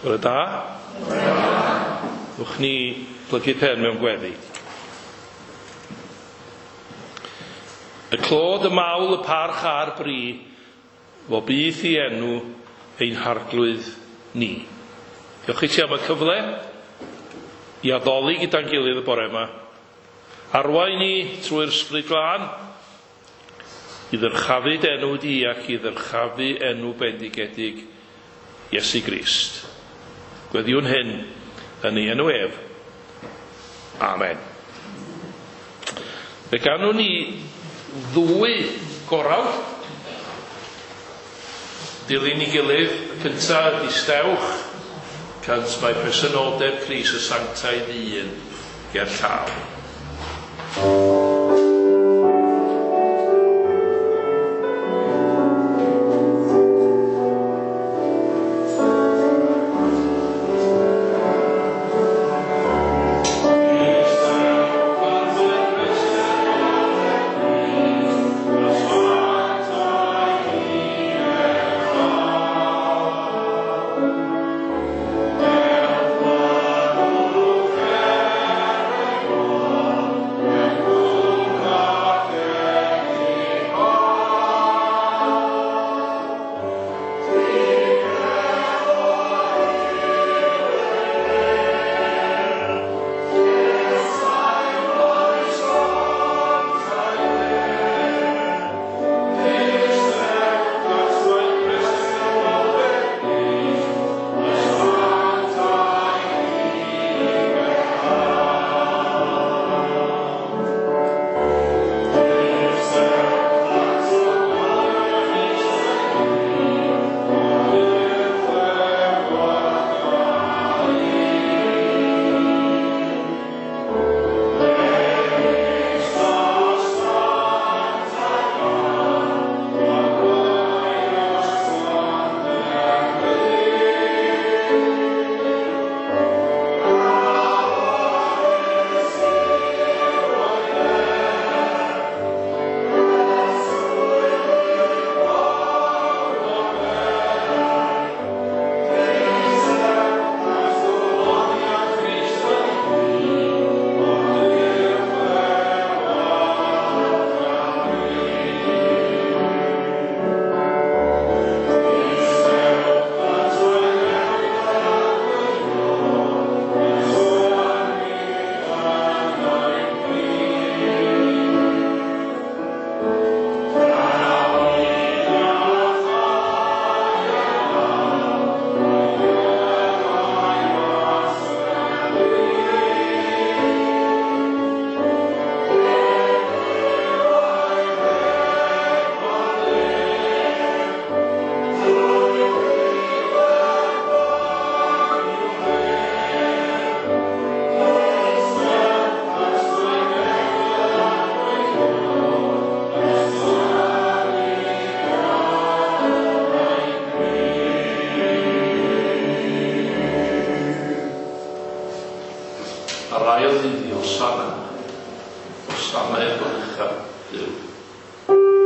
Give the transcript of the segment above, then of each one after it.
Bore da. Wch ni plygu pen mewn gweddi. Y clod, y mawl, y parch a'r bri, fo byth i enw ein harglwydd ni. Diolch i ti am y cyfle i addoli gyda'n gilydd y bore yma. Arwain ni trwy'r Ysbryd Glân i ddyrchafu dy enw di ac i ddyrchafu enw bendigedig Iesu Grist. Gweddiwn hyn yn ei enw ef. Amen. Fe ganwn ni ddwy gorawd dilyn ei gilydd. Y cyntaf ydy Stewch, cant mae presenoldeb Crist y sanctaidd un ger llaw. A'r ail ddydd i Hosanna, Hosanna i'r goruchaf Duw. Hosanna,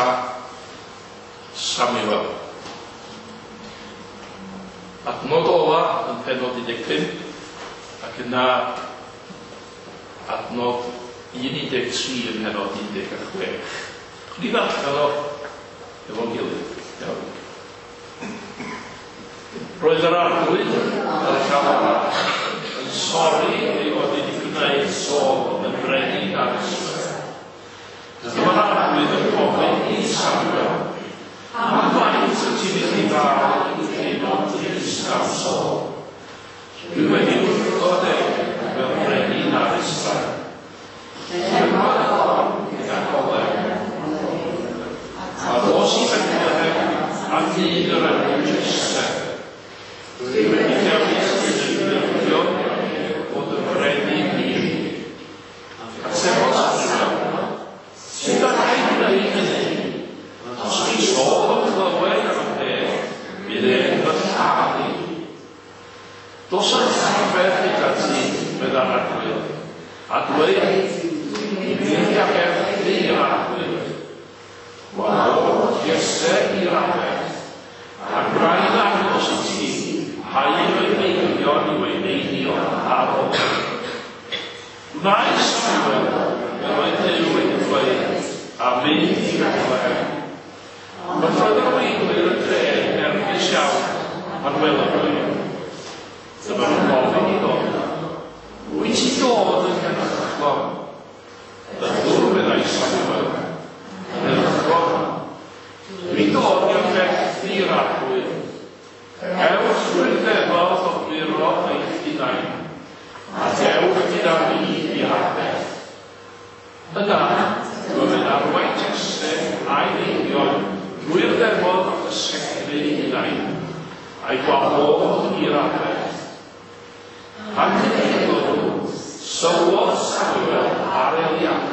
Cynta Samuel. Adnod ola yn pennod 15 ac yna adnod 1.13 yn pennod 16. Chwn i ddarllen o efo'n gilydd. Iawn. Roedd yr Arglwydd ar y llaw arall yn sori ei fod wedi gwneud Saul yn frenin ar Israel. Dyma'r Arglwydd yn gofyn i Samuel, am faint wyt ti'n mynd i ddal i teimlo'n drist am Saul? Dwi wedi wrthod e fel brenin ar Israel. Llenwa y corn gyda golew. A ddos i Bethlehem a dyn yr enw Jesse. Dwi wedi dewis un o'i meibion fod yn frenin i mi. Atebodd Samuel, sut alla i gwneud hynny? Os di Saul yn clywed am y peth, bydd e'n fy lladd i. Dos â'r arfer gyda ti, meddai'r Arglwydd, a dweud, i fynd i aberthu i'r Arglwydd. Gwahodd Jesse i'r aberth, a gwna i ddangos i ti pa un o'i meibion yw ei neinio ar ôl. Gwnaeth Samuel fel oedd Duw wedi dweud, a mynd i Bethlehem. Ond roedd yr arweinwyr y dre yn nerfus iawn pan welodd nhw ef. Dyma nhw'n gofyn iddo, wyt ti'n dod yn heddychlon? Ydw, meddai Samuel, yn heddychlon. Dwi'n dod i aberthu i'r Arglwydd. Ewch drwy'r ddefod o buro eich hunain, a dewch gyda fi i'r aberth. Yna, dyma fe'n arwain Jesse a'i feibion drwy'r ddefod o gysegru ei hunain, a'i gwahodd i'r aberth. Pan gyrhaeddodd nhw, sylwodd Samuel ar Eliab,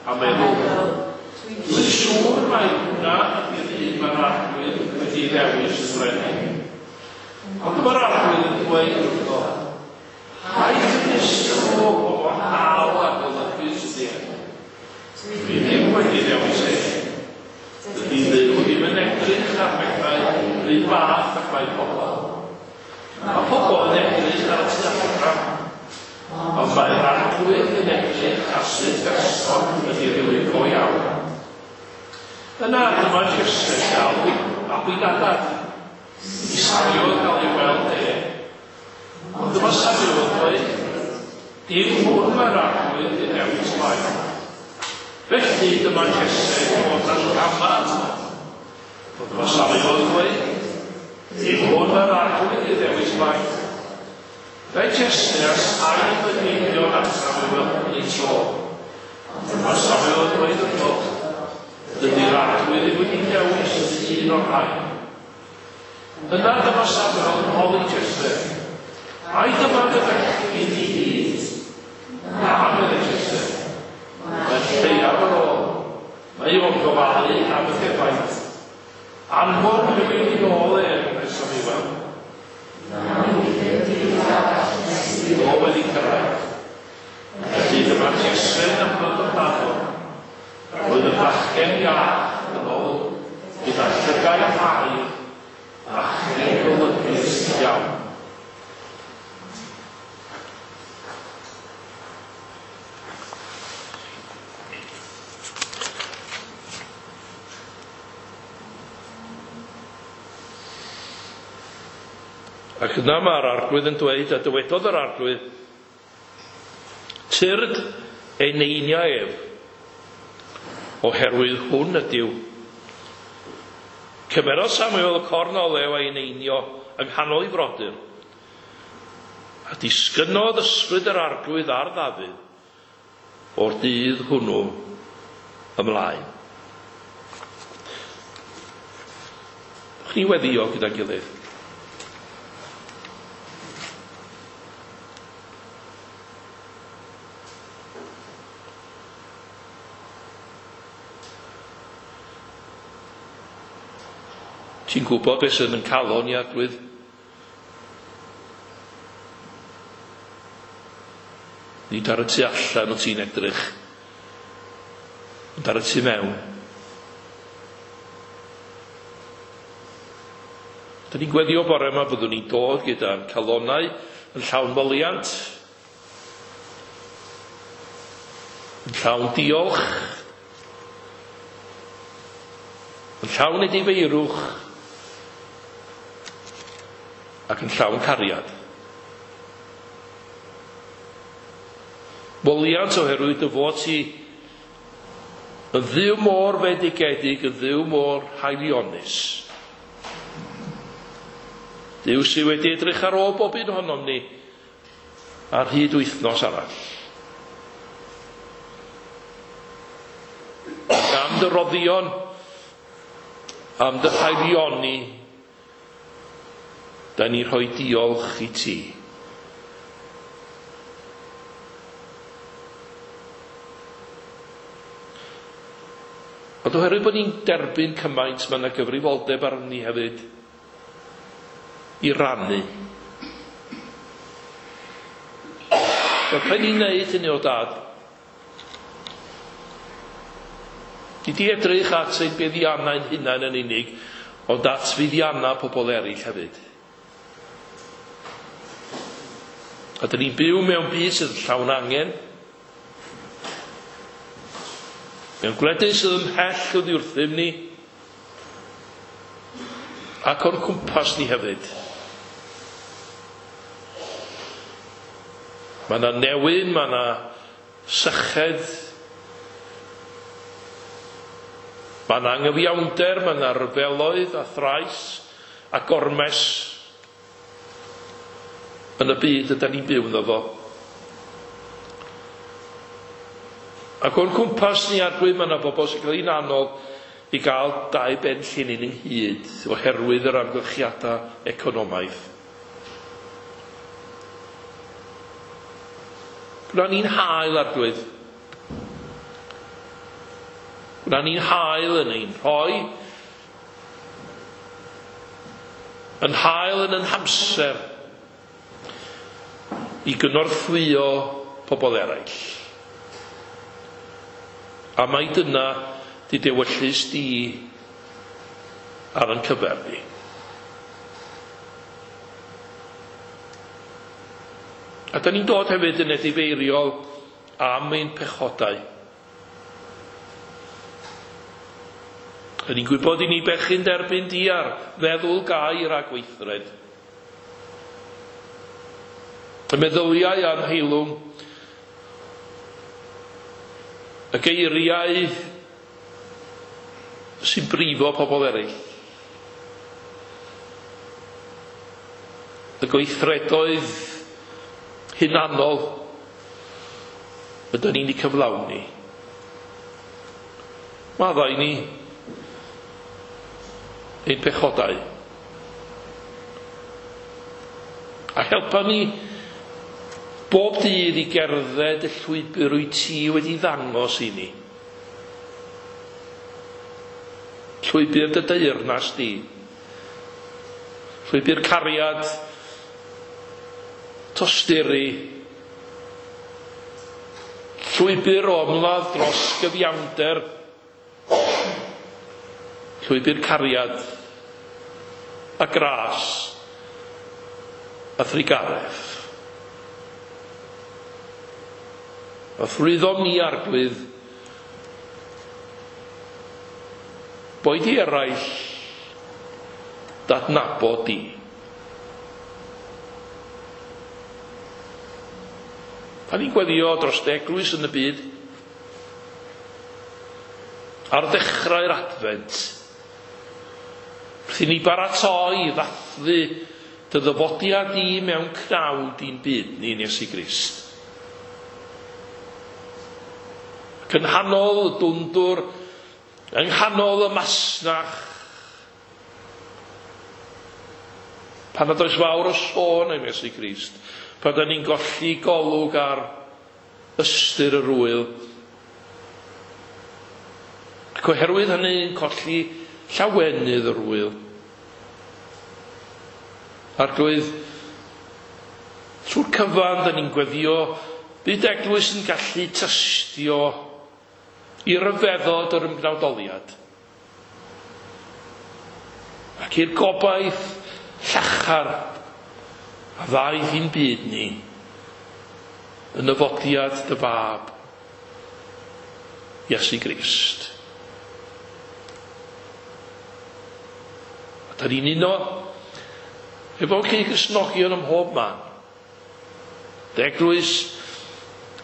a meddwl, dwi'n siŵr mai hwnna ydy'r un mae'r Arglwydd wedi ei ddewis yn frenin. Ond dyma'r Arglwydd yn dweud wrtho, paid tynnu sylw o wahanol a golygus ydy e. Dwi ddim wedi dewis e. Dydy Dduw ddim yn edrych ar bethau yr un fath ac mae pobl. Mae pobl yn edrych ar y tu allan, ond mae'r Arglwydd yn edrych ar sut berson ydy rhywun go iawn. Yna dyma Jesse gael Abinadab i Samuel gael ei weld e. Ond dyma Samuel yn dweud, dim hwn mae'r Arglwydd yn dewis mlaen. Felly dyma Jesse yn dod â Shama ato. Ond dyma Samuel yn dweud, dim hwn mae'r Arglwydd yn dewis mlaen. Daeth Jesse a saith o'i meibion at Samuel yn ei tro. Ond dyma Samuel yn dweud wrtho, dydy'r Arglwydd ddim wedi dewis un o'r rhain. Yna dyma Samuel yn holi Jesse, ai dyma dy fechgyn i gyd? Na, meddai Jesse, mae'r lleiaf ar ôl. Mae o'n gofalu am y defaid. Anfon rhywun i nôl e, meddai Samuel. O wedi cyrraedd. Felly dyma Jesse yn ymwneud amdano. Roedd y bachgen iach yn ôl gyda llygaid aur, bachgen golygus iawn. Ac yna mae'r Arglwydd yn dweud, a dywedodd yr Arglwydd, tyrd eneinia ef, oherwydd hwn ydyw. Cymerodd Samuel y corn olew a'i eneinio yng nghanol ei frodyr, a disgynnodd ysbryd yr Arglwydd ar Ddafydd o'r dydd hwnnw ymlaen. Dewch ni weddio gyda'n gilydd. Ti'n gwybod beth sydd yn calon i Arglwydd? Nid ar y tu allan o ti'n edrych, ond ar y tu mewn. Dyn ni'n gweddio bore yma byddwn ni'n dod gyda'n calonnau yn llawn moliant, yn llawn diolch, yn llawn edifeirwch, ac yn llawn cariad. Moliant oherwydd dy fod ti yn Dduw mor fendigedig, yn Dduw mor haelionus. Duw sydd wedi edrych ar ôl bob un ohonom ni ar hyd wythnos arall. Ac am dy roddion, am dy haelioni, da ni rhoi diolch i ti. Ond oherwydd bod ni'n derbyn cymaint, mae yna gyfrifoldeb arnon ni hefyd i rannu. Helpa ni'n neud hynny o Dad. Nid i edrych at ein buddiannau'n hunain yn unig, ond at fuddiannau pobl eraill hefyd. A dyn ni'n byw mewn byd sydd llawn angen, mewn gwledydd sydd ymhell oddi wrthym ni, ac o'n cwmpas ni hefyd. Mae yna newyn, mae yna syched, mae yna anghyfiawnder, mae yna ryfeloedd a thrais a gormes yn y byd ydan ni'n byw ynddo fo. Ac o'n cwmpas ni, Arglwydd, mae yna bobl sy'n cael hi'n anodd i gael dau ben llinyn ynghyd oherwydd yr amgylchiadau economaidd. Gwna ni'n hael, Arglwydd. Gwna ni'n hael yn ein rhoi, yn hael yn ein hamser i gynorthwyo pobl eraill. A mai dyna di dewyllys di ar ein cyfer ni. A da ni'n dod hefyd yn edifeiriol am ein pechodau. Da ni'n gwybod i ni bechu'n derbyn di ar feddwl, gair a gweithred. Y meddyliau a'n heilwng, y geiriau sy'n brifo pobl eraill, y gweithredoedd hunanol ydyn ni'n eu cyflawni. Maddau ni ein pechodau. A helpa ni bob dydd i gerdded y llwybr wyt ti wedi ddangos i ni. Llwybr dy deyrnas di. Llwybr cariad, tosturi, llwybr o ymladd dros gyfiawnder, llwybr cariad a gras a thrugaredd. A thrwyddom ni, Arglwydd, boed i eraill d'adnabod di. Pan ni'n gweddio dros dy eglwys yn y byd, ar ddechrau'r Adfent, wrth i ni baratoi i ddathlu dy ddyfodiad di mewn cnawd i'n byd ni yn Iesu Grist. Ac yng nghanol y dwndwr, yng nghanol y masnach, pan nad oes fawr o sôn am Iesu Grist, pan da ni'n golli golwg ar ystyr yr wyl, ac oherwydd hynny'n colli llawenydd yr wyl. Arglwydd, trwy'r cyfan da ni'n gweddio, bydd eglwys yn gallu tystio i ryfeddod yr ymgnawdoliad ac i'r gobaith llachar a ddaeth i'n byd ni yn nyfodiad dy fab, Iesu Grist. A da ni'n uno efo cyd-Gristnogion ym mhob man. Dy eglwys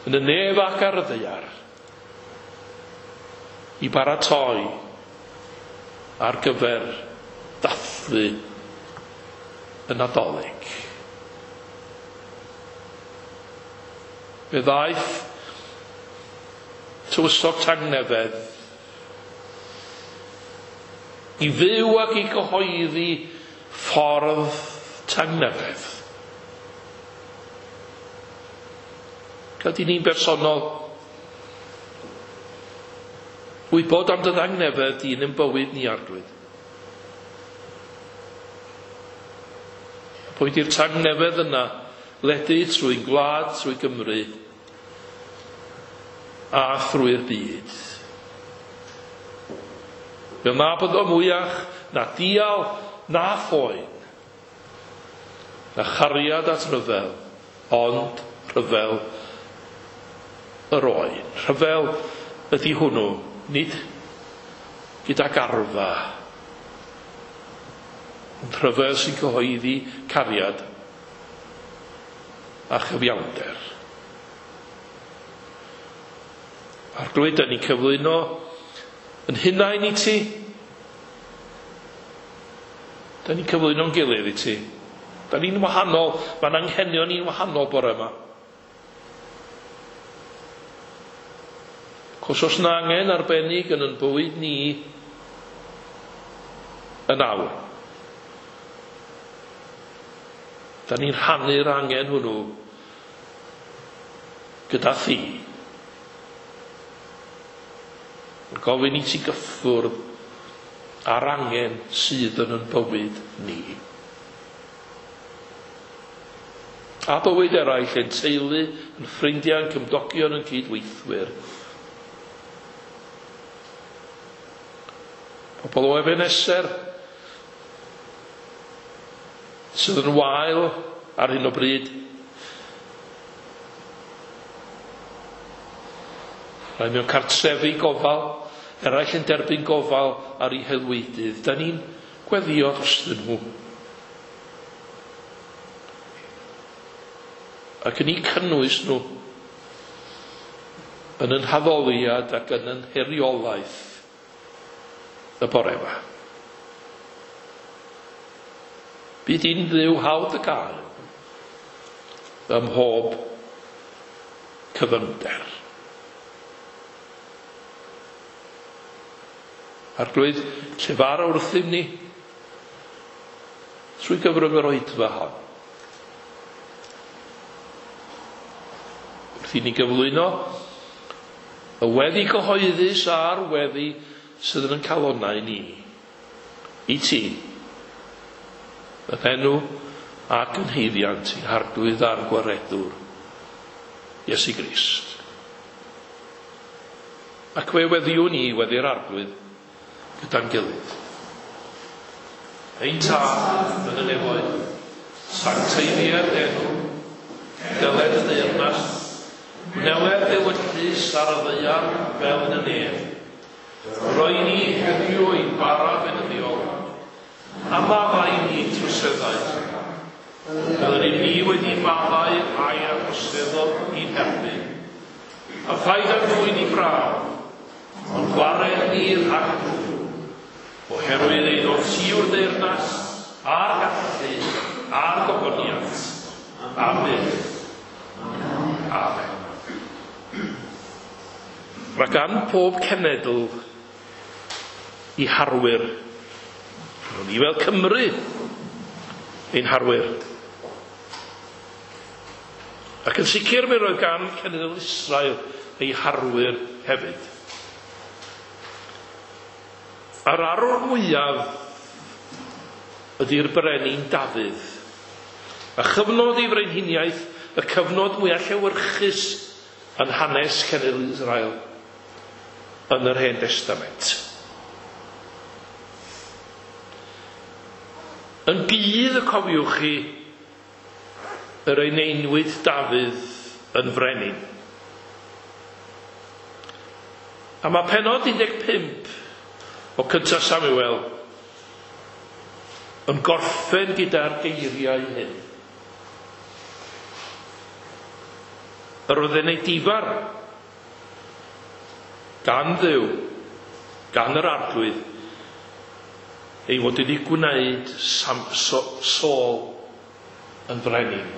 yn y nef ac ar y ddaear i baratoi ar gyfer dathlu y Nadolig. Fe ddaeth tywysog tangnefedd i fyw ac i gyhoeddi ffordd tangnefedd. Gad i ni'n bersonol wybod am dy ddangnefedd di yn ein bywyd ni, Arglwydd. A boed i'r tangnefedd yna ledu trwy'n gwlad, trwy Gymru a thrwy'r byd. Fel na byddo mwyach na dial na phoen, na chariad at ryfel, ond rhyfel yr oen. Rhyfel ydy hwnnw, nid gyda garfa, ond rhyfel sy'n cyhoeddi cariad a chyfiawnder. Arglwydd, da ni'n cyflwyno yn hunain i ti. Da ni'n cyflwyno'n gilydd i ti. Da ni'n wahanol, mae'n anghenion ni'n wahanol bore yma. Cos os na angen arbennig yn yn bywyd ni yn awr, da ni'n rhannu'r angen hwnnw gyda thi. Yn gofyn i ti gyffwrdd â'r angen sydd yn yn bywyd ni. A bywyd eraill, ein teulu, yn ffrindiau, yn cymdogion, yn cydweithwyr. Pobl o Ebeneser sydd yn wael ar hyn o bryd. Rhai mewn cartrefi gofal, eraill yn derbyn gofal ar eu haelwydydd. Da ni'n gweddio drostyn nhw. Ac yn eu cynnwys nhw yn yn haddoliad ac yn yn heriolaeth y bore yma. Bydd i'n ddiw hawdd y gael ym mhob cyfyngder. Arglwydd, llefara wrthym ni trwy gyfrwng yr oedfa hon. Wrth i ni gyflwyno y weddi gyhoeddus a'r weddi sydd yn ein calonnau ni, i ti, yn enw ac yn haeddiant i'n Harglwydd a'n Gwaredwr, Iesu Grist. Ac fe weddiwn ni weddi'r Arglwydd gyda'n gilydd. Ein Tad yn y nefoedd, sancteiddier enw, deled y deyrnas, gwneled ewyllys ar y ddaear fel yn y nef. Roi ni heddiw ein bara beunyddiol, a maddau ni troseddau, fel yr ŷm ni wedi maddau rhai a droseddodd i'n herbyn. A phaid â dwyn i brawf, ond gwared ni rhag drwg, oherwydd eiddo ti yw'r deyrnas, a'r gallu, a'r gogoniant, am byth. Amen. Mae gan pob cenedl i harwyr. Ro'n ni fel Cymru ein harwyr. Ac yn sicr mi roedd gan cenedl Israel ei harwyr hefyd. A'r arwr mwyaf ydy'r brenin Dafydd. A chyfnod ei frenhiniaeth, y cyfnod mwyaf llewyrchus yn hanes cenedl Israel yn yr Hen Destament. Yn gudd y cofiwch chi yr eneinwyd Dafydd yn frenin. A mae pennod 15 o Cyntaf Samuel yn gorffen gyda'r geiriau hyn. Yr oedd yn ei difar gan Dduw, gan yr Arglwydd, ei fod wedi gwneud Saul yn frenin.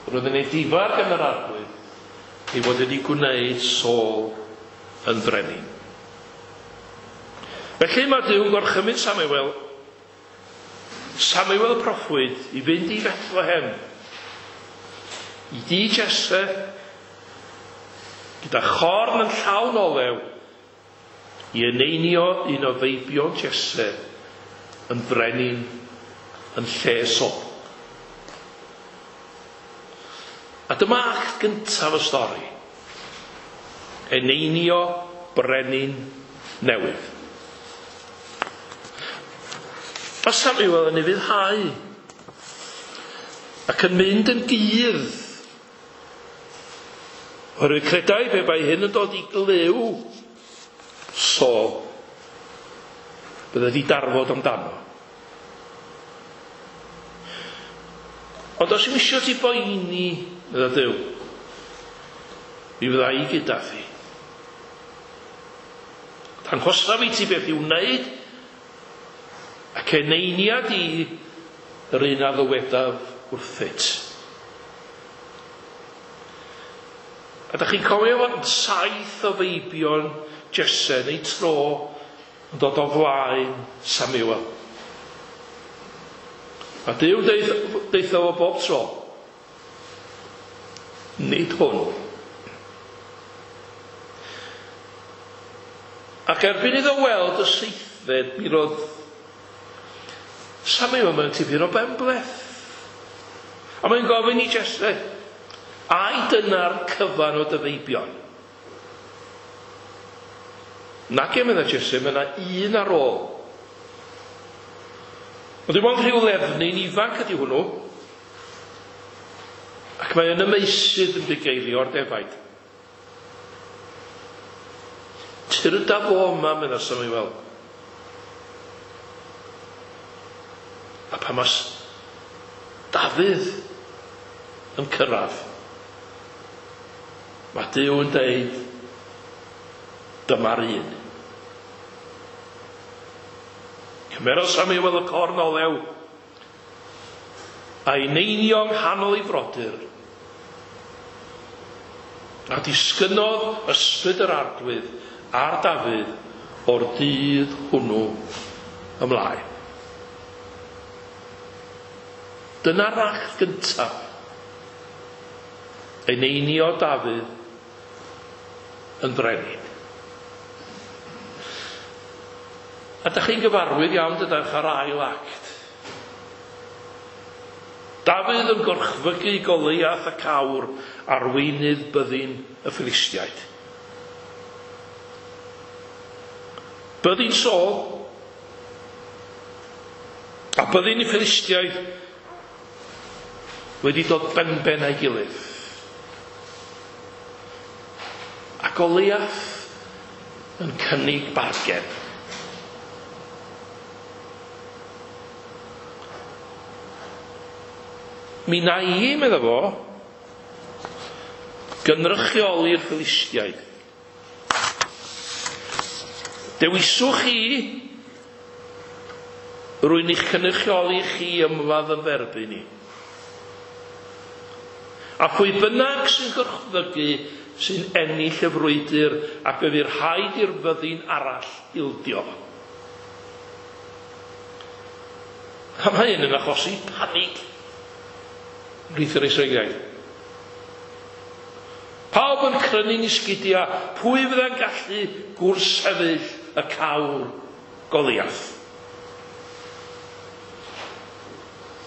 Roedd yn ei difar gan yr Arglwydd ei fod wedi gwneud Saul yn frenin. Felly mae Duw'n gorchymyn Samuel, Samuel y proffwyd, i fynd i Bethlehem, i dŷ Jesse, gyda chorn yn llawn olew, i eneinio un o feibion Jesse yn frenin yn lle Saul. A dyma act gyntaf y stori. Eneinio brenin newydd. Mae Samuel yn ufuddhau ac yn mynd yn gudd. Oherwydd credai pe bai hyn yn dod i glyw Saul, bydde wedi darfod amdano. Ond os yw'n isio ti boeni, medda Duw, mi fydda i gyda thi. Danghosaf i ti beth i'w wneud, ac eneinia di yr un a ddywedaf wrthyt. A da chi'n cofio fod 7 o feibion Jesse neu tro yn dod o flaen Samuel. A Duw deutha fo bob tro, nid hwn. Ac erbyn iddo weld y seithfed, mi roedd Samuel mewn tipyn o benbleth. A mae'n gofyn i Jesse, ai dyna'r cyfan o dy feibion? Nage, medda Jesse, mae yna un ar ôl. Ond dim ond rhyw lefnyn ifanc ydy hwnnw. Ac mae yn y meysydd yn bugeilio'r defaid. Tyrda fo yma, medda Samuel. A pan mas Dafydd yn cyrraedd, mae Duw yn deud, dyma'r un. Cymerodd Samuel y corn olew a'i neinio yng nghanol ei frodyr, a disgynnodd ysbryd yr Arglwydd ar Dafydd o'r dydd hwnnw ymlaen. Dyna'r act gyntaf. Eneinio Dafydd yn frenin. A dach chi'n gyfarwydd iawn dydach â'r ail act. Dafydd yn gorchfygu Goliath y cawr, arweinydd byddin y Philistiaid. Byddin Saul a byddin y Philistiaid wedi dod benben â'i gilydd. A Goliath yn cynnig bargen. Mi na i, medda fo, gynrychioli'r Philistiaid. Dewiswch chi rwy'n eich cynrychioli chi ymladd yn dderbyn i. A phwy bynnag sy'n gorchfygu sy'n ennill y frwydr ac fe fydd rhaid i'r fyddin arall ildio. A mae hyn yn achosi panig ymhlith yr Israeliaid. Pawb yn crynu'n esgidiau, pwy fydda'n gallu gwrthsefyll y cawr Goliath?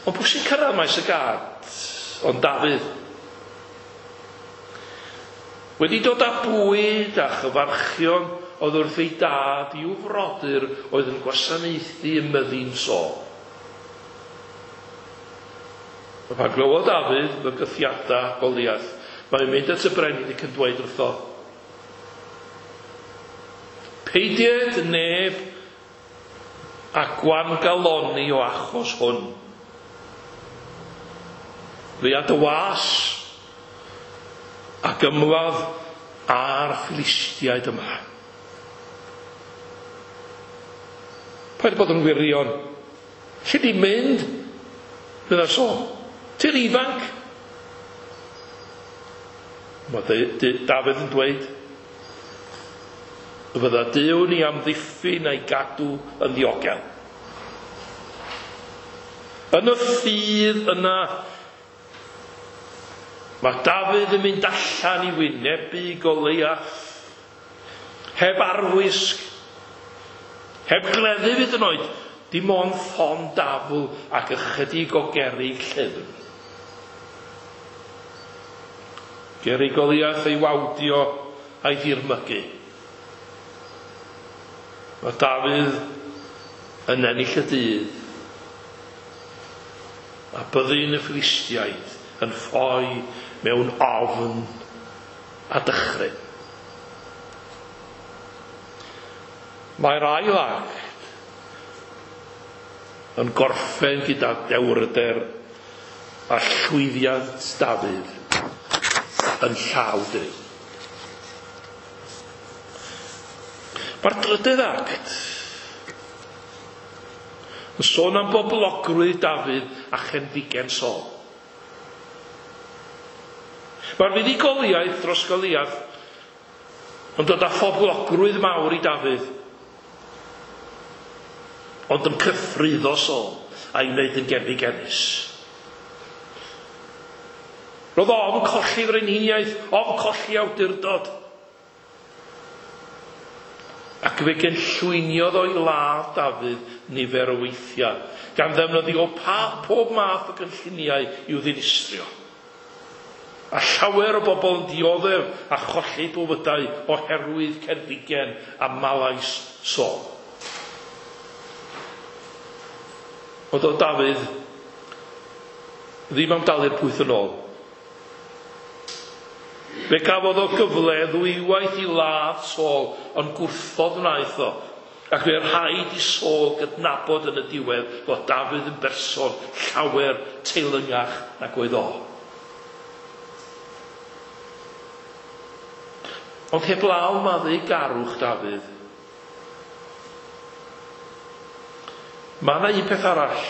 Ond pwy sy'n cyrraedd maes y gad? Ond Dafydd. Wedi dod â bwyd a chyfarchion oedd wrth ei dad i'w frodyr oedd yn gwasanaethu ym myddin Saul. Pan glywodd Dafydd fygythiadau Goliath, mae'n mynd at y brenin ac yn dweud wrtho, "Peidied neb a gwangaloni o achos hwn. Fe a dy was ac ymladd â'r Philistiaid yma." Paid bod yn wirion. Lle di mynd? Fydda Saul. Ti'n ifanc. Mae Dafydd yn dweud, y fydda Duw ni amddiffyn a'i gadw yn ddiogel. Yn y ffydd yna, mae Dafydd yn mynd allan i wynebu Goliath, heb arfwisg, heb gleddyf hyd yn oed, dim ond ffon dafl ac ychydig o gerrig llyfn. Gerrig Goliath ei wawdio a'i ddirmygu. Mae Dafydd yn ennill y dydd, a byddin y Philistiaid yn ffoi mewn ofn a dychryn. Mae'r ail act yn gorffen gyda dewrder a llwyddiant Dafydd yn llaw Duw. Mae'r drydydd act yn sôn am boblogrwydd Dafydd a chenfigen Saul. Mae'r fuddugoliaeth dros Goliath yn dod â phoblogrwydd mawr i Dafydd, ond yn cythruddo Saul a'i wneud yn genfigennus. Roedd ofn colli frenhiniaeth, ofn colli awdurdod. Ac fe gynllwyniodd o'i ladd Dafydd nifer o weithiau, gan ddefnyddio pob math o gynlluniau i'w ddinistrio. A llawer o bobl yn dioddef a cholli bywydau oherwydd cenfigen a malais Saul. Ond oedd Dafydd ddim am dalu'r pwyth yn ôl. Fe gafodd o gyfle ddwywaith i ladd Saul, ond gwrthod wnaeth o. Ac fe rhaid i Saul gydnabod yn y diwedd fod Dafydd yn berson llawer teilyngach nag oedd o. Ond heblaw maddeugarwch Dafydd, mae yna un peth arall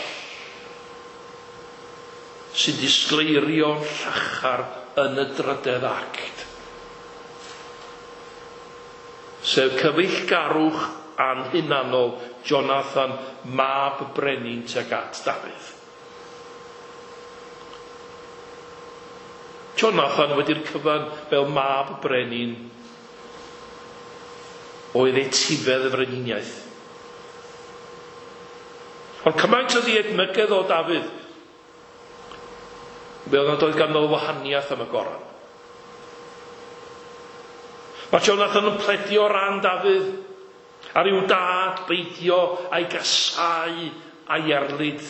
sy'n disgleirio'n llachar yn y drydedd act, sef cyfeillgarwch anhunanol Jonathan, mab brenin tuag at Dafydd. Jonathan wedi'r cyfan fel mab brenin oedd etifedd y frenhiniaeth. Ond cymaint oedd ei edmygedd o Dafydd, fel nad oedd ganddo wahaniaeth am y goron. Mae Jonathan yn pledio ran Dafydd ar i'w dad beidio a'i gasau a'i erlid.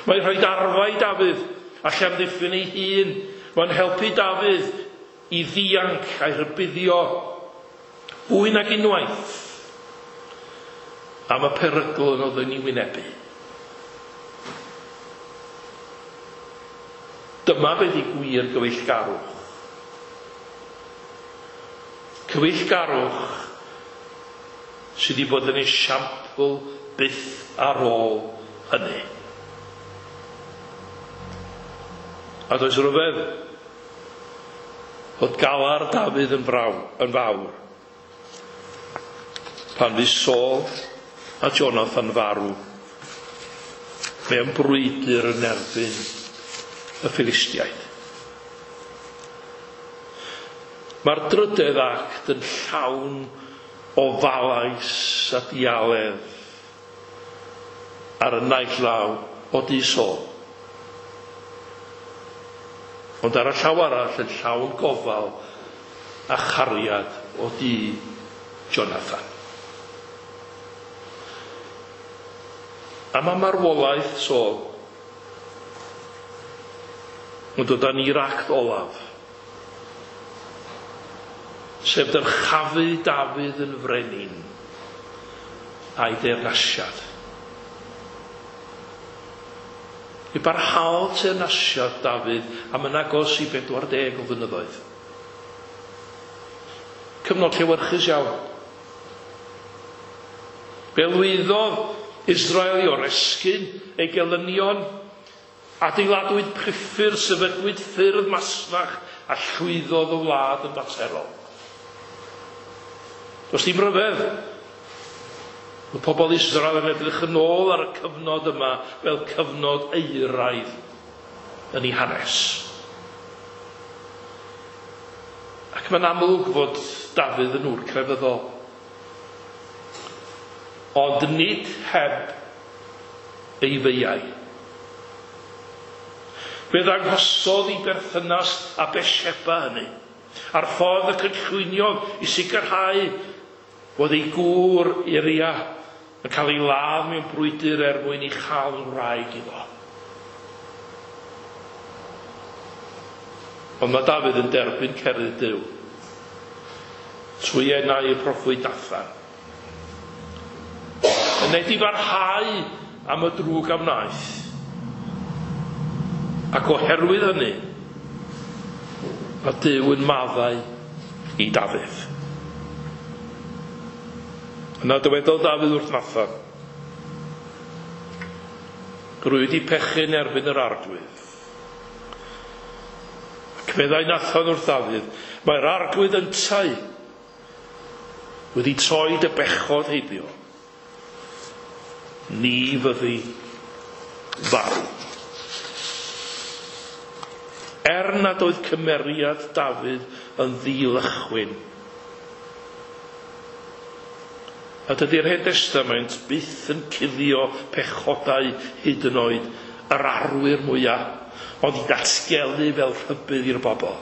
Mae'n rhoi arfau i Dafydd a llamddiffyn ei hun. Mae'n helpu Dafydd i ddianc a'i rhybuddio fwy nag unwaith am y perygl yn oedd yn ei wynebu. Dyma beth i gwir gyfeillgarwch. Cyfeillgarwch sydd wedi bod yn esiampl byth ar ôl hynny. A does rhyfedd fod galar Dafydd yn fawr pan fu Saul a Jonathan farw mewn brwydr yn erbyn y Philistiaid. Mae'r drydedd act yn llawn o falais a dialedd ar y naill law o du Saul, ond ar y llaw arall yn llawn gofal a chariad o du Jonathan. A mae marwolaeth Saul Mae'n dod â ni'r act olaf. Sef dyrchafu Dafydd yn frenin a'i deyrnasiad. Mi barhaodd teyrnasiad Dafydd am yn agos i 40 o flynyddoedd. Cyfnod llewyrchus iawn. Fe lwyddodd Israel i oresgyn ei gelynion, adeiladwyd priffyrdd, sefydlwyd ffyrdd masnach a llwyddodd y wlad yn faterol. Does dim rhyfedd. Mae pobl Israel yn edrych yn ôl ar y cyfnod yma fel cyfnod euraidd yn ei hanes. Ac mae'n amlwg fod Dafydd yn ŵr crefyddol. Ond nid heb ei feiau. Fe ddanghosodd ei berthynas â Bethsheba hynny, a'r ffordd y cynllwyniodd i sicrhau fod ei gŵr Uria yn cael ei ladd mewn brwydr er mwyn ei chael yn wraig iddo. Ond mae Dafydd yn derbyn cerydd Duw trwy enau y proffwyd Nathan. Yn edifarhau am y drwg a wnaeth. Ac oherwydd hynny, mae Duw yn maddau i Dafydd. Yna dywedodd Dafydd wrth Nathan, Rwy wedi pechu yn erbyn yr Arglwydd. Ac meddai Nathan wrth Dafydd, Mae'r Arglwydd yntau wedi troi dy bechod heibio. Ni fyddi farw. Er nad oedd cymeriad Dafydd yn ddilychwyn, a dydy'r Hen Destament byth yn cuddio pechodau hyd yn oed yr arwyr mwyaf, ond i datgelu fel rhybudd i'r bobl.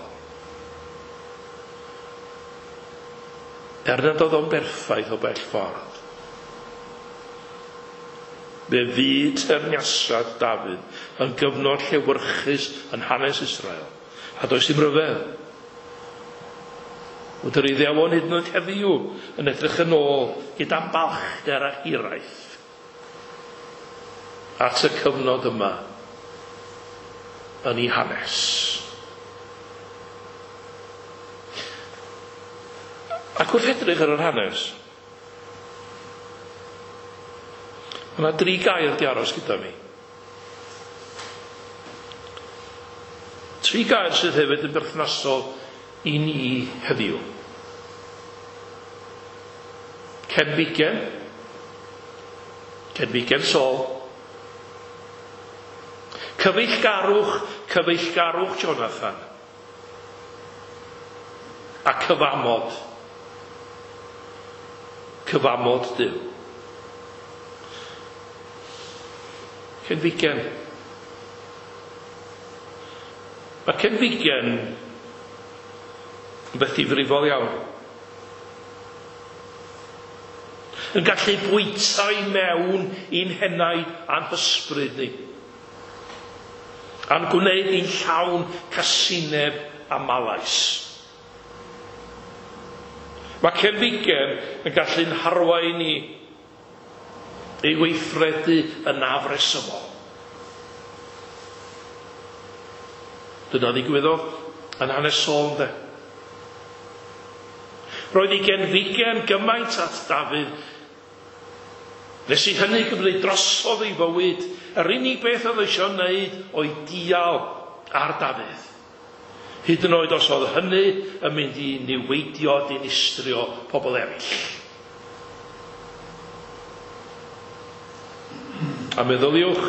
Er nad oedd o'n berffaith o bell ffordd, fe fu teyrnasiad Dafydd yn gyfnod llewyrchus yn hanes Israel, a does dim rhyfedd fod yr Iddewon hyd yn oed heddiw yn edrych yn ôl gyda balchder a hiraeth at y cyfnod yma yn ei hanes. Ac wrth edrych ar yr hanes, mae yna dri gair di aros gyda mi. Tri gair sydd hefyd yn berthnasol i ni heddiw. Cenfigen, cenfigen Saul. Cyfeillgarwch, cyfeillgarwch Jonathan. A cyfamod, cyfamod Duw. Cenfigen. Mae cenfigen yn beth difrifol iawn. Yn gallu bwyta i mewn i'n henaid a'n hysbryd ni. A'n gwneud ni'n llawn casineb a malais. Mae cenfigen yn gallu'n harwain ni ei weithredu yn afresymol. Dyna ddigwyddodd yn hanes Saul, ynde? Roedd ei genfigen gymaint at Dafydd nes i hynny gymryd drosodd ei fywyd. Yr unig beth oedd eisiau wneud oedd dial ar Dafydd. Hyd yn oed os oedd hynny yn mynd i niweidio, dinistrio pobl eraill. A meddyliwch,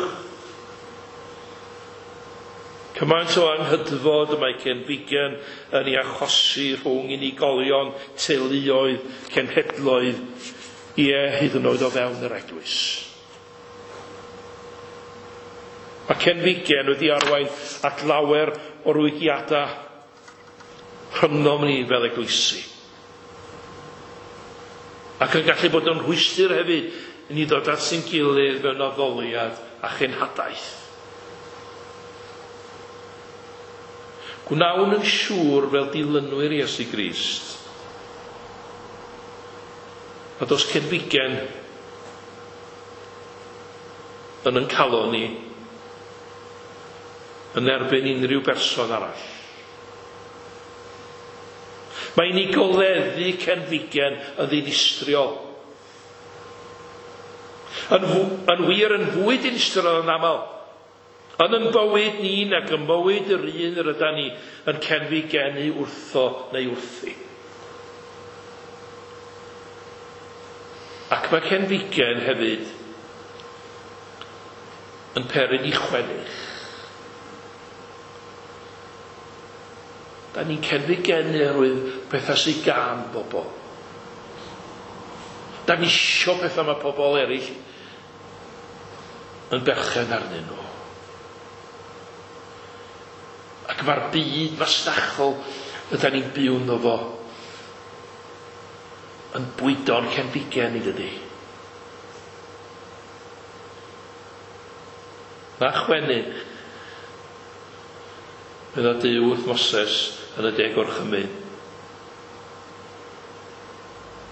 cymaint o anghydfod y mae cenfigen yn ei achosi rhwng unigolion, teuluoedd, cenhedloedd, ie, hyd yn oed o fewn yr eglwys. Mae cenfigen wedi arwain at lawer o rwygiadau rhyngom ni fel eglwysi. Ac yn gallu bod yn rhwystr hefyd i ni ddod at ein gilydd mewn addoliad a chenhadaeth. Gwnawn yn siŵr fel dilynwyr Iesu Grist nad oes cenfigen yn ein calon ni yn erbyn unrhyw berson arall. Mae ni goleddu cenfigen yn ddinistriol. Yn wir yn fwy dinistriol yn aml. Yn yn bywyd ni nag yn bywyd yr un yr ydan ni yn cenfigenu wrtho neu wrthi. Ac mae cenfigen hefyd yn peri ni chwennych. Da ni'n cenfigenu oherwydd pethau sydd gan bobl. Da ni isio pethau mae pobl eraill yn berchen arnyn nhw. Ac mae'r byd masnachol ydan ni'n byw ynddo fo yn bwydo'n cenfigen i dydy. Na chwennych, medda Duw wrth Moses yn y Deg Gorchymyn.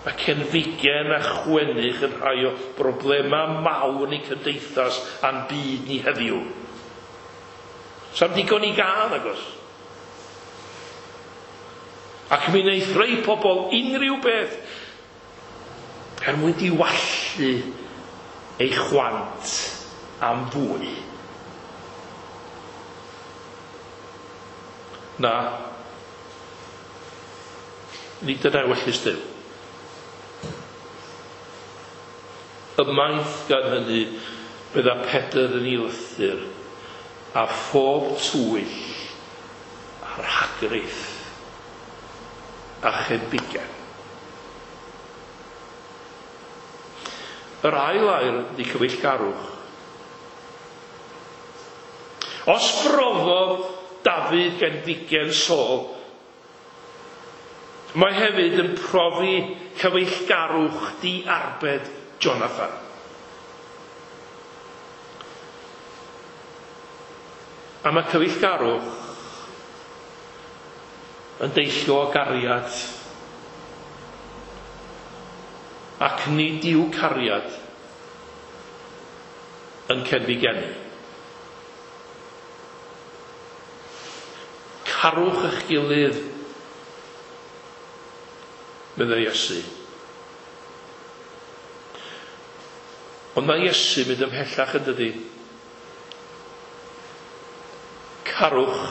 Mae cenfigen a chwennych yn rhai o broblemau mawr ni cymdeithas a'n byd ni heddiw. Sa'm digon i gael, nagos. Ac mi wneith rhai pobl unrhyw beth er mwyn diwallu ei chwant am fwy. Na, nid dyna ewyllys Duw. Ymaith gan hynny, bydda Pedr yn ei lythyr, a phob twyll a rhagrith a chenfigen. Yr ail air ydy cyfeillgarwch. Os brofodd Dafydd genfigen Saul, mae hefyd yn profi cyfeillgarwch diarbed Jonathan. A mae cyfeillgarwch yn deillio o gariad, ac nid yw cariad yn cenfigenu. Carwch eich gilydd, meddai Iesu. Ond mae Iesu mynd ymhellach yn dydi. Carwch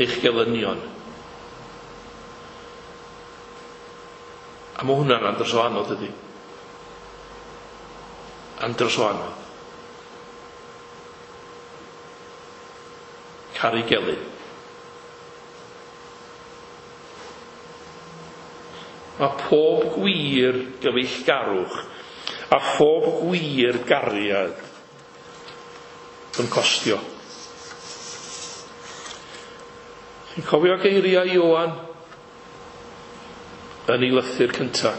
eich gelynion. A mae hwnna'n andros o anodd, ydy. Andros o anodd. Caru gelyn. Mae pob gwir gyfeillgarwch a phob gwir gariad yn costio. Chi'n cofio geiriau Ioan yn ei lythyr cyntaf?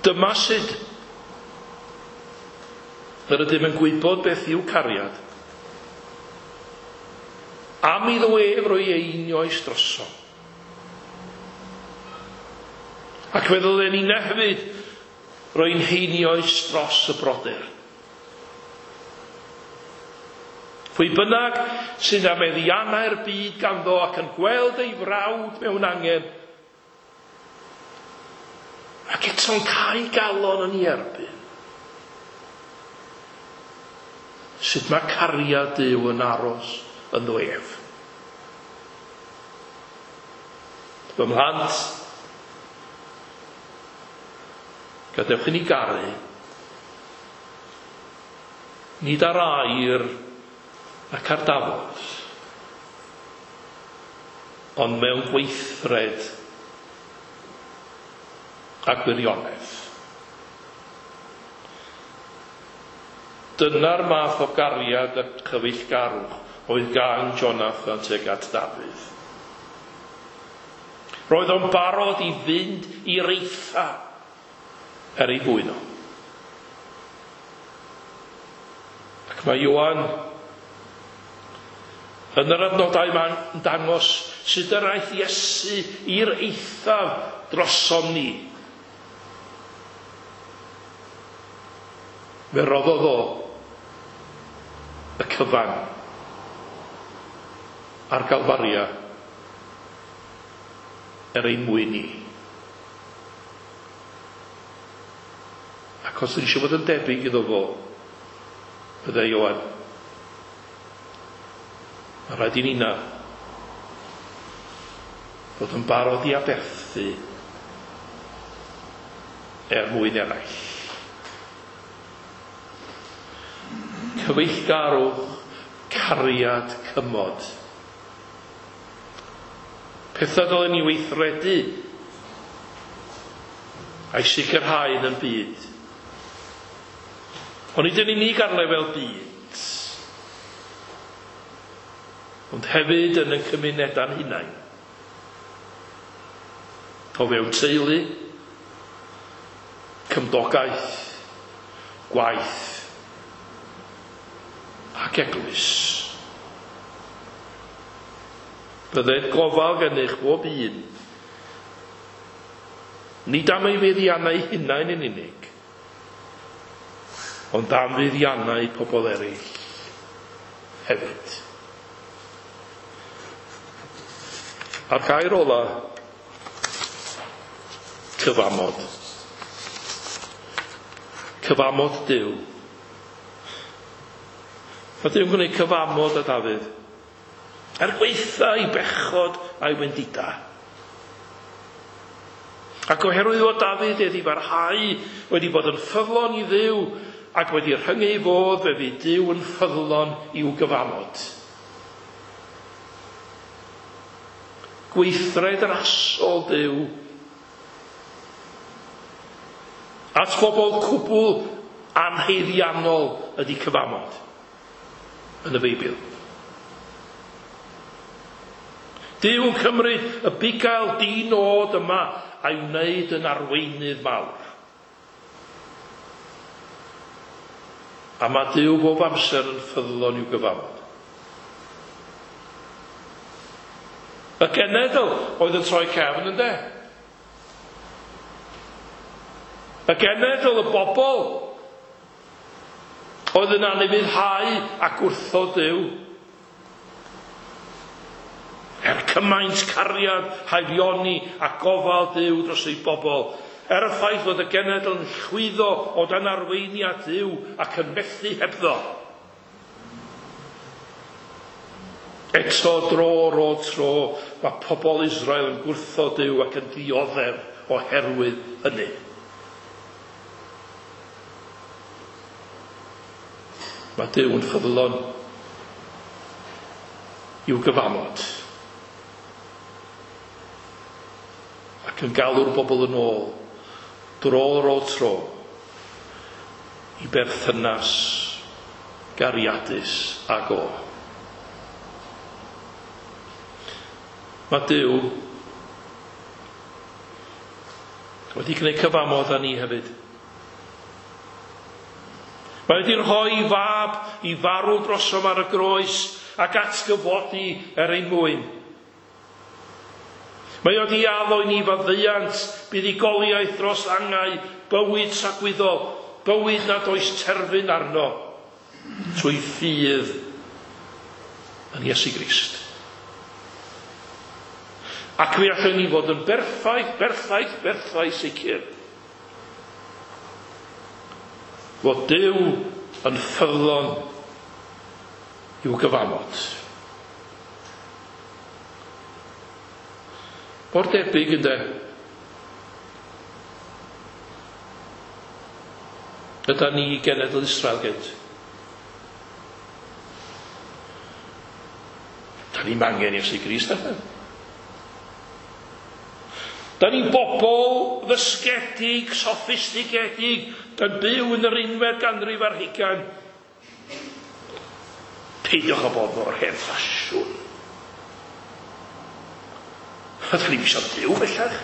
Dyma sut yr ydym yn gwybod beth yw cariad. Am iddo ef roi einioes drosom. Ac fe ddylen ni hefyd roi'n heinioes dros y brodyr. Pwy bynnag sydd â meddiannau'r byd ganddo ac yn gweld ei frawd mewn angen, ac eto'n cau galon yn ei erbyn. Sut mae cariad Duw yn aros ynddo ef? Fy mhlant, gadewch i ni garu, nid ar air ac ar dafod, ond mewn gweithred a gwirionedd. Dyna'r math o gariad a chyfeillgarwch oedd gan Jonathan tuag at Dafydd. Roedd o'n barod i fynd i'r eitha er ei fwyn o. Ac mae Ioan Yn yr adnodau mae'n dangos sut yr aeth Iesu i'r eithaf drosom ni. Fe roddodd o y cyfan ar Galfaria er ein mwyn ni. Ac os ydyn eisiau bod yn debyg iddo fo, byddai Ioan. Mae rhaid i nina fod yn barod i aberthu er mwyn eraill. Cyfeillgarwch, cariad, cymod. Pethau dylen ni weithredu a'i sicrhau yn y byd. Ond nid yn unig ar lefel byd, ond hefyd yn y cymunedau'n hunain. O fewn teulu, cymdogaeth, gwaith ac eglwys. Bydded gofal gennych bob un, nid am ei fuddiannau hunain yn unig, ond am fuddiannau pobl eraill hefyd. A'r gair ola, cyfamod. Cyfamod Duw. Mae Duw'n gwneud cyfamod â Dafydd. Er gwaetha ei bechod a'i wendida. Ac oherwydd fod Dafydd wedi barhau wedi bod yn ffyddlon i Dduw ac wedi rhyngu ei fodd, fe fydd Duw yn ffyddlon i'w gyfamod. Gweithred rasol Duw at bobl cwbl anhaeddiannol ydy cyfamod yn y Beibl. Duw yn cymryd y bugail di-nod yma a'i wneud yn arweinydd mawr. A mae Duw bob amser yn ffyddlon i'w gyfamod. Y genedl oedd yn troi cefn, ynde? Y genedl, y bobl, oedd yn anufuddhau ac wrtho Duw. Er cymaint cariad, haelioni a gofal Duw dros ei bobl, er y ffaith fod y genedl yn llwyddo o dan arweiniad Duw ac yn methu hebddo. Eto dro ar ôl tro, mae pobl Israel yn gwrthod Duw ac yn dioddef oherwydd hynny. Mae Duw yn ffyddlon i'w gyfamod ac yn galw'r bobl yn ôl, dro ar ôl tro, i berthynas gariadus ag o. Mae Duw wedi gwneud cyfamod â ni hefyd. Mae wedi rhoi fab i farw drosom ar y groes ac atgyfodi er ein mwyn. Mae wedi addo i ni faddeuant, buddugoliaeth dros angau, bywyd tragwyddol, bywyd nad oes terfyn arno, trwy ffydd yn Iesu Grist. Ac fe allwn ni fod yn berffaith, berffaith, berffaith sicr fod Duw yn ffyddlon i'w gyfamod. Mor debyg, ynde? Yda ni genedl Israel gynt. Da ni'n angen Iesu Grist, allan. Da ni'n bobl ddysgedig, soffistigedig, yn byw yn yr unfed ganrif ar hugain. Peidiwch â bod mor hen ffasiwn. A da ni'n eisiau Duw bellach.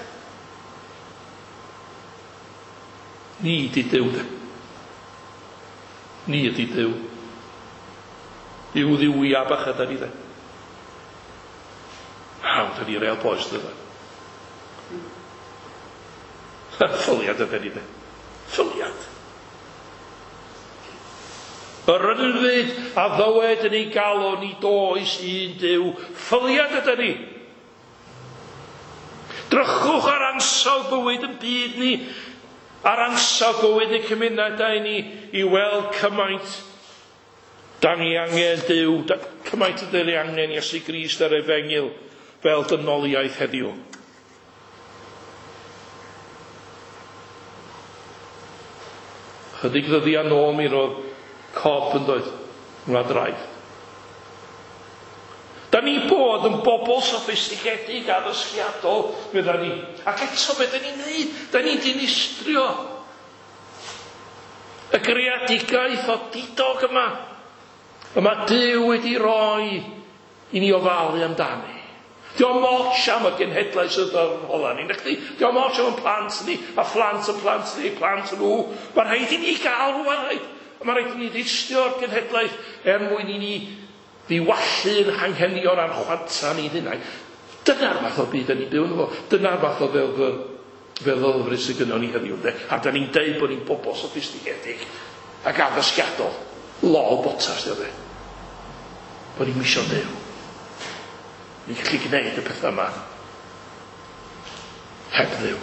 Ni ydi Duw, de. Ni ydi Duw. Duw ddiwia bach yda ni, de. Da ni real boys, dyna. Ffyliad ydyn ni, de. Ffyliad. Yr ynfyd a ddywed yn ei galon ni does un Duw. Ffyliad ydyn ni. Drychwch ar ansawdd bywyd yn byd ni, ar ansawdd bywyd y cymunedau ni, i weld cymaint da ni angen Duw, cymaint ydyn ni angen Iesu Grist a'r Efengyl fel dynoliaeth heddiw. Chydig ddyddiau nôl mi roedd Cob yn dweud, wlad raid. Da ni bod yn bobl soffistigedig a ddysgiadol, medda ni. Ac eto beth da ni'n neud? Da ni'n dinistrio y greadigaeth o didog yma. Y mae Duw wedi roi i ni ofalu amdani. Dio'm ots am y genhedlaeth sydd ar hola ni, nachdi? Dio'm ots am y plant ni, a phlant y plant ni, plant nhw. Mae rhaid i ni gael rhywun rhaid. Mae rhaid i ni ddistio'r genhedlaeth er mwyn i ni ddiwallu'n hanghenion a'r chwanta ni hunain. Dyna'r math o byd da ni'n byw ynddo fo. Dyna'r math o feddylfryd sydd gynnon ni heddiw, ynde? A da ni'n deud bod ni'n bobl soffistigedig ac addysgiadol. Lol botas, di o de. Bod ni'n misio Duw. Ni'n gallu gwneud y pethau yma heb Dduw.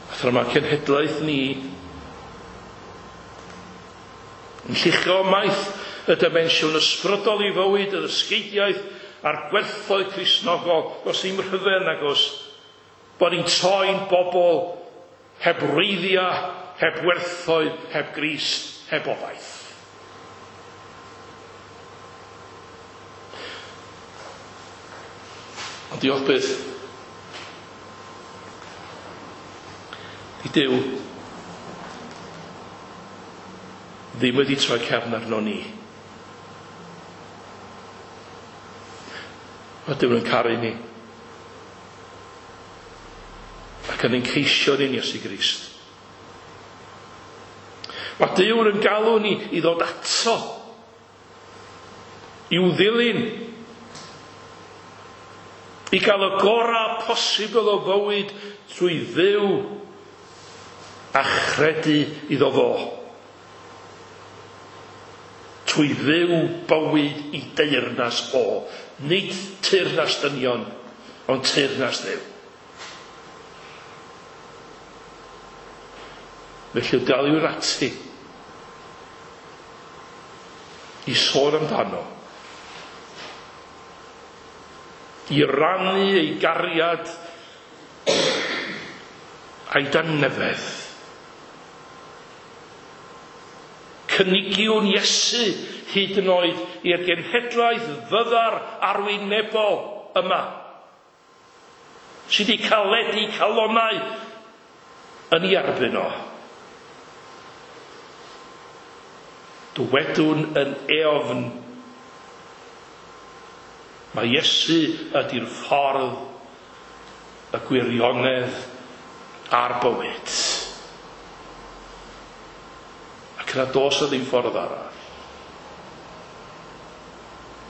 A thra mae cenhedlaeth ni yn lluchio ymaith y dimensiwn ysbrydol i fywyd, y ddysgeidiaeth a'r gwerthoedd Cristnogol, does ddim rhyfedd nag oes bod ni'n troi'n bobl heb wreiddiau, heb werthoedd, heb Grist, heb obaith. Ond diolch byth i Duw ddim wedi troi cefn arno ni. Mae Duw yn caru ni. Ac yn ein ceisio ni'n Iesu Grist. Mae Duw yn galw ni i ddod ato, i'w ddilyn, i gael y gorau posibl o fywyd trwy fyw a chredu iddo fo. Trwy fyw bywyd i deyrnas o. Nid teyrnas dynion, ond teyrnas Dduw. Felly daliwr ati i sôn amdano, i rannu ei gariad a'i dangnefedd. Cynigiwn Iesu hyd yn oed i'r genhedlaeth fyddar arwynebol yma, sydd wedi caledu calonnau yn ei erbyn o. Dywedwn yn eofn, mae Iesu ydy'r ffordd, y gwirionedd a'r bywyd. Ac yna dos o ddim ffordd arall.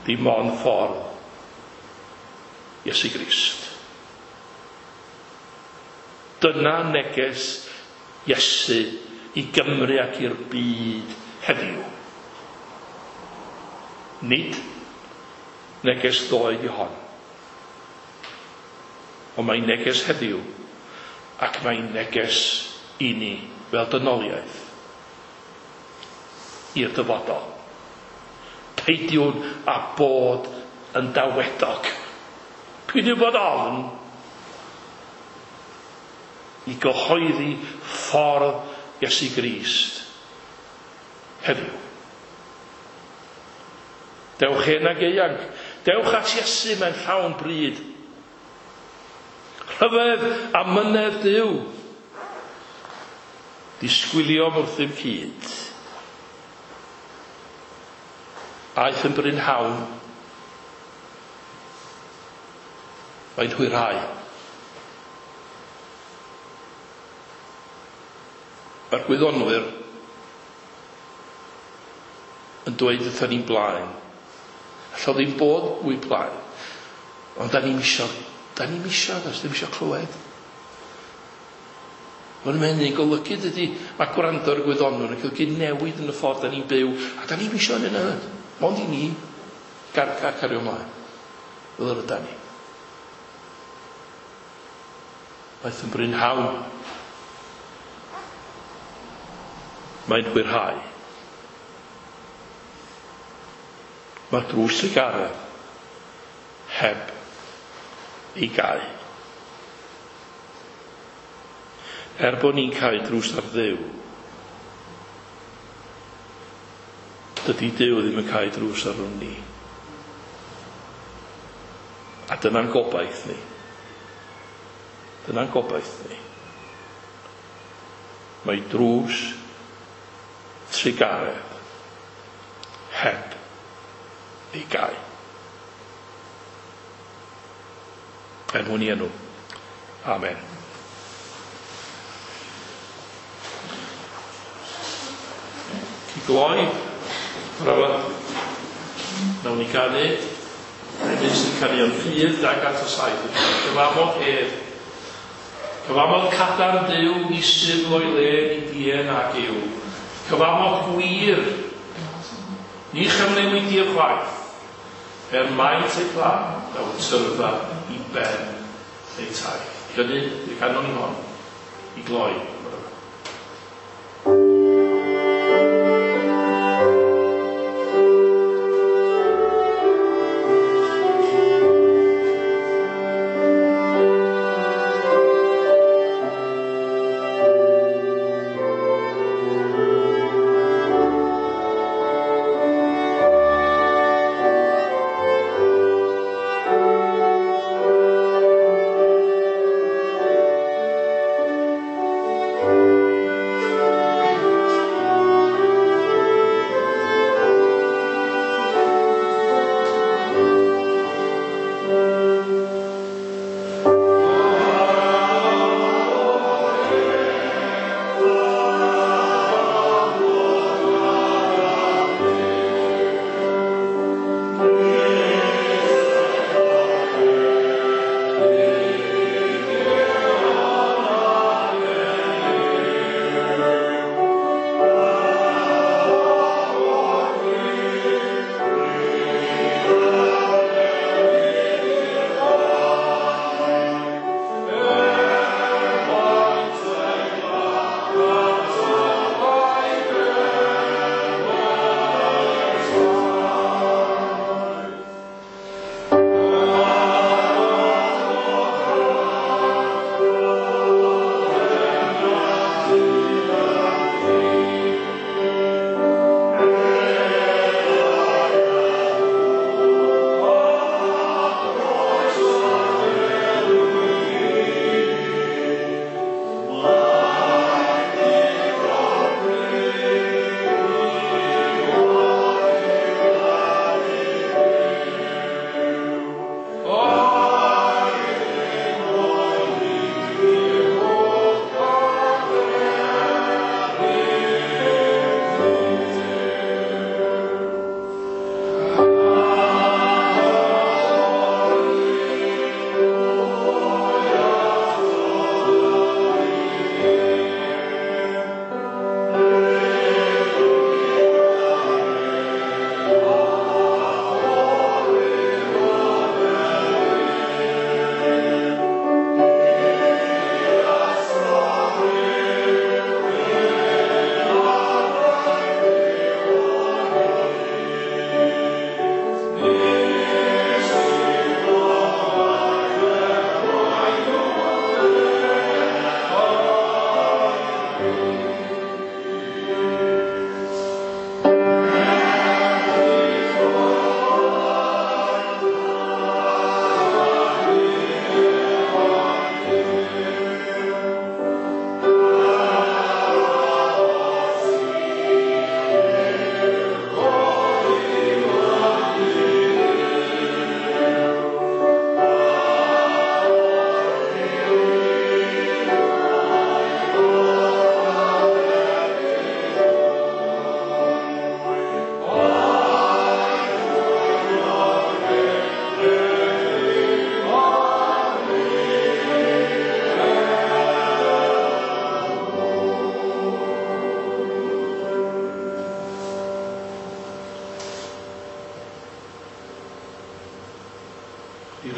Dim ond ffordd Iesu Grist. Dyna neges Iesu i Gymru ac i'r byd heddiw. Nid neges ddoe di hon. Ond mae'n neges heddiw ac mae'n neges i ni fel dynoliaeth i'r dyfodol. Peidiwn â bod yn dawedog. Peidiwn bod ofn i gyhoeddi ffordd Iesu Grist heddiw. Dewch hen ag ieuanc, dewch at Iesu mewn llawn bryd. Rhyfedd a mynedd Duw. Disgwyliom wrthym cyd. Aeth yn brynhawn. Mae'n hwyrhau. Mae'r gwyddonwyr yn dweud wrthon ni'n blaen, Alla ddim bod fwy plaen. Ond da ni'm isio, da ni'm isio, da ni'm isio clywed. Mae'n hynny'n golygu dydy, mae gwrando ar y gwyddonwyr yn golygu newid yn y ffordd da ni'n byw, a da ni'm isio hynny na. Mond i ni cario ymlaen. Fel yr ydan ni. Waeth yn brynhawn. Mae'n hwyrhau. Mae drws trugaredd heb ei gau. Er bod ni'n cau drws ar Dduw, dydy Duw ddim yn cau drws ar ni. A dyna'n gobaith ni. Dyna'n gobaith ni. Mae drws trugaredd heb ei gau. Er mwyn i enw. Amen. I gloi, bore, nawn ni ganu, emyn sy'n canu o'n ffydd 207. Cyfamod hedd. Cyfamod cadarn Duw, ni syfl o'i le, ni dien ag yw. Cyfamod gwir, ni chyfnewid chwaith. Er maint ei pla, daw tyrfa i ben ei taith. Hynny, i'r canon ni hon, i gloi.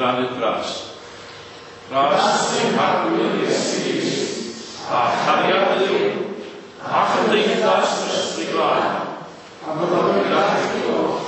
rannu'r gras. Gras ein Harglwydd Iesu Grist, a chariad Dduw, a chymdeithas yr Ysbryd Glân, a fyddo gyda chi oll.